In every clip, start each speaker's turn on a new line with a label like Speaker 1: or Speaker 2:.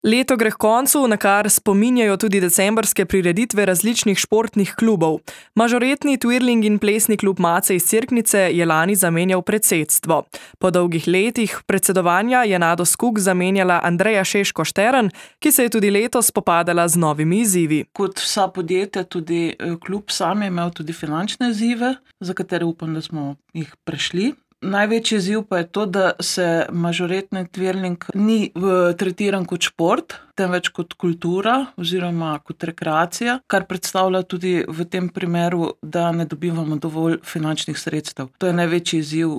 Speaker 1: Leto gre k koncu, na kar spominjajo tudi decembrske prireditve različnih športnih klubov. Mažoretni twirling in plesni klub Mace iz Cerknice je lani zamenjal predsedstvo. Po dolgih letih predsedovanja je Nado Skuk zamenjala Andreja Šeško-Štern, ki se je tudi letos spopadala z novimi izzivi.
Speaker 2: Kot vsa podjetja, tudi klub sam je imel tudi finančne izzive, za katere upam, da smo jih prešli. Največji izziv pa je to, da se mažoretni twirling ni tretiran kot šport, temveč kot kultura oziroma kot rekreacija, kar predstavlja tudi v tem primeru, da ne dobivamo dovolj finančnih sredstev. To je največji izziv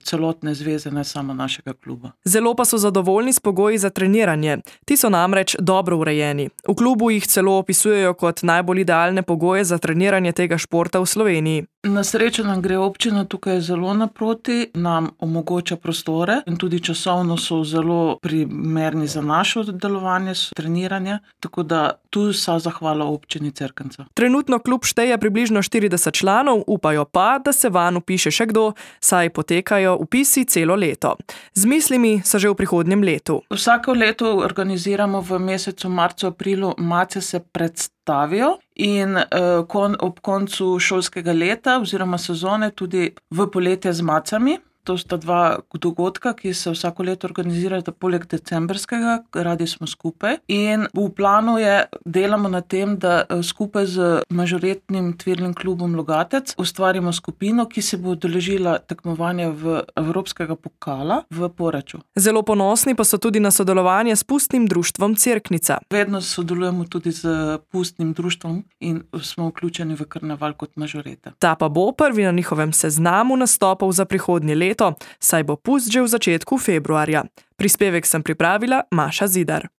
Speaker 2: celotne zveze, ne samo našega kluba.
Speaker 1: Zelo pa so zadovoljni s pogoji za treniranje. Ti so namreč dobro urejeni. V klubu jih celo opisujejo kot najbolj idealne pogoje za treniranje tega športa v Sloveniji.
Speaker 2: Na srečo nam gre občina tukaj zelo naproti, nam omogoča prostore in tudi časovno so zelo primerni za našo delovanje, treniranje, tako da tu vsa zahvala občini Cerknica.
Speaker 1: Trenutno klub šteje približno 40 članov, upajo pa, da se vanj vpiše še kdo, saj potekajo vpisi celo leto. Z mislimi so že v prihodnjem letu.
Speaker 2: Vsako leto organiziramo v mesecu marcu, aprilu, Mace se predstavijo in ob koncu šolskega leta oziroma sezone tudi v poletje z Macami. To sta dva dogodka, ki se vsako leto organizirata poleg decembrskega, radi smo skupaj. In v planu je, delamo na tem, da skupaj z mažoretnim twirling klubom Logatec ustvarimo skupino, ki se bo udeležila tekmovanja v Evropskega pokala v Poreču.
Speaker 1: Zelo ponosni pa so tudi na sodelovanje s Pustnim društvom Cerknica.
Speaker 2: Vedno sodelujemo tudi z Pustnim društvom in smo vključeni v karneval kot mažoreta.
Speaker 1: Ta pa bo prvi na njihovem seznamu nastopov za prihodnje leto, saj bo pust že v začetku februarja. Prispevek sem pripravila Maša Zidar.